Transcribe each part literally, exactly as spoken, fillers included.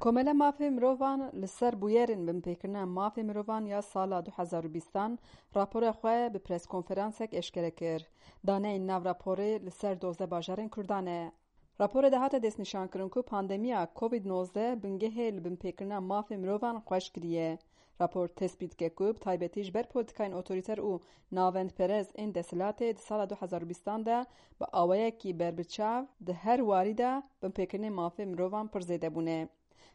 Komela Mafê Mirovan li ser bûyerên binpêkirina mafê mirovan ya sala du hezar û bîstan rapora xwe bi preskonferansek eşkere kir. Daneyên nav raporê li ser dozdeh bajarên Kurdan e. Raporê de hate destnîşankirin ku pandemiya Covid nozdeh bingehê li binpêkirina mafê mirovan xweş kiriye. Rapor tespît dike ku bi taybetî ji ber polîtikayên otorîter û navendperez ên desthilatê di sala du hezar û bîstan de bi awayekî berbiçav di her warî de binpêkirinên mafê mirovan pir zêde bûne.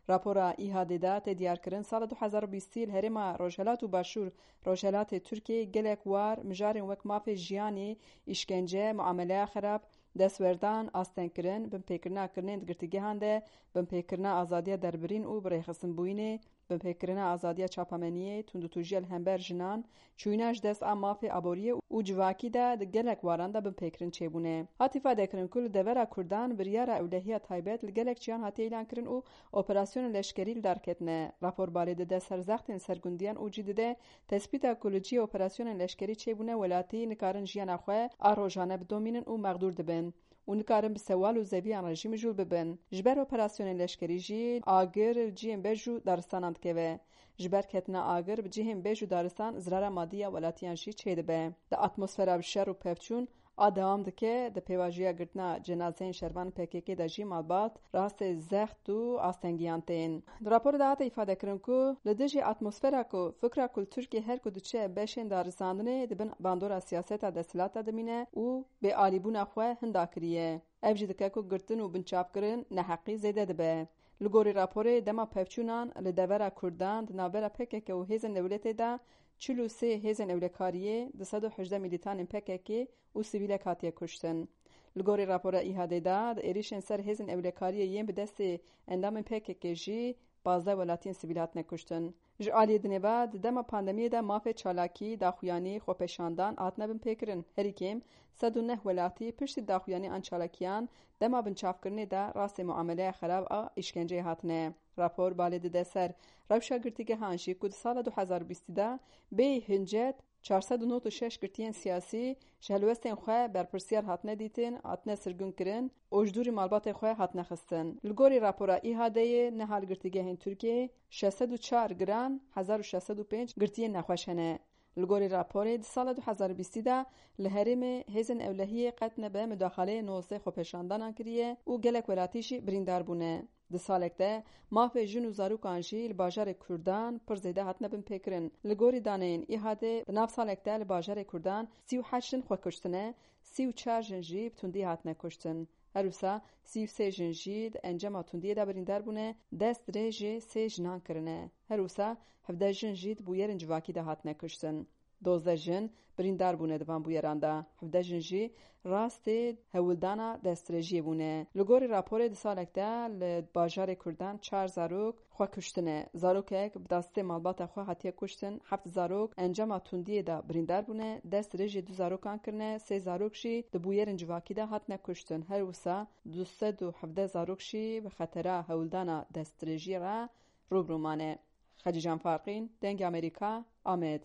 Rapora ÎHDê de tê diyarkirin, sala du hezar û bîstî li herêma Rojhelat û Başûr Rojhelatê Tirkiyeyê gelek war mijarên wek mafê jiyanê, îşkence, muameleya xerab, destwerdan, astengkirin, binpêkirina kirinên di girtîgehan de, binpêkirina azadiya derbirîn û birêxistinbûyînê, binpêkirina azadiya çapameniyê, tundûtûjiya li hember jinan, çûyîna ji dest a mafê aboriyê û civakî de di gelek waran de binpêkirin çêbûne. Hat îfadekirin ku li devera Kurdan biryara ewlehiya taybet li gelek çiyan hatiye îlankirin û operasyonên leşkerî li dar ketine. Rapor balê dide ser zextên sergundiyan û cî dide tespîta ku li cihê operasyonên leşkerî çêbûne welatî nikarin jiyana xwe a rojane bidomînin û mexdûr dibin û nikarin bi sewal û zeviyan rejîmê jûl bibin. Ji ber operasyonên leşkerî jî agir li cihên bej û daristanan dikeve. Ji ber ketina agir bi cihên bej û daristan zirara madî ya welatiyan jî çêdibe. Di atmosfera bi şer û pevçûn a dewam dike, di pêvajoya girtina cenazeyên şervanên P K K de jî malbat rastê zext û astengiyan tên. Di raporê de hate îfadekirin ku li dijî atmosfera ku fikra ku li Tirkiyê her ku diçe beşên darizandinê di bin bandora siyaseta desthilata dimîne û bêalîbûna xwe hinda kiriye. Ev jî dike ku girtin û binçavkirin neheqî zêde dibe. Li gorî raporê dema pevçûnan li devera Kurdan di navbera P K K û hêzên dewletê de çil û sê hêzên ewlekariyê, du sed û hejdeh milîtanên P K K û sivîlek hatiye kuştin. Li gorî rapora ÎHDê de di êrîşên ser hêzên ewlekariyê yên bi destê endamên P K K jî pazdeh welatiyên sivîl hatine kuştin. Ji aliyê dinê ve di dema pandemiyê de mafê çalakî, daxuyanî, xwepêşandan hatine binpêkirin. Herî kêm sed û neh welatî piştî daxuyanî an çalakiyan dema binçavkirinê de rastê muameleya xerab a îşkenceyê hatine. Rapor balê dide ser rewşa girtîgehan jî ku di sala du hezar û bîstî de bêyî hincet çar sed û nod û şeş girtiyên siyasî ji helwestên xwe berpirsiyar hatine dîtin, hatine sirgunkirin û ji dûrî malbatê xwe hatine xistin. Li gorî rapora ÎHDê, niha li girtîgehên Tirkiyeyê şeş sed û çar giran, hezar û şeş sed û pênc girtiyên nexweş hene. Li gorî raporê, di sala du hezar û bîstî de li herêmê hêzên ewlehiyê qet nebe mudaxaleyê nozdeh xwepêşandanan kiriye û gelek welatî jî birîndar bûne. Di salek de mafê jin û zarokan jî li bajarê Kurdan pir zêde hatine binpêkirin. Li gorî daneyên ÎHDê, di nav salek de li bajarê Kurdan sî û heşt jin xwe kuştine, sî û çar jin jî bi tundî hatine kuştin. Her wisa sî û sê jin jî di encama tundiyê de birîndar bûne, dest dirêjê sê jinan kirine. Her wisa hevdeh jin jî di bûyerên civakî de hatine kuştin. Dozdeh jin birîndar bûne di van bûyeran de. Hevdeh jin jî rastê hewldana destdirêjiyê bûne. Li gorî raporê di salek de li bajarê Kurdan çar zarok xwe kuştine. Zarokek bi destê malbata xwe hatiye kuştin. Heft zarok encama tundiyê de birîndar bûne. Destdirêjê du zarokan kirine. Sê zarok jî di bûyerên civakî de hatine kuştin. Her wisa du sed û hevdeh zarok jî bi xetera hewldana destdirêjiyê re rû bi rû mane. Xecîcan Farqîn, Dengê Amerîka, Amed.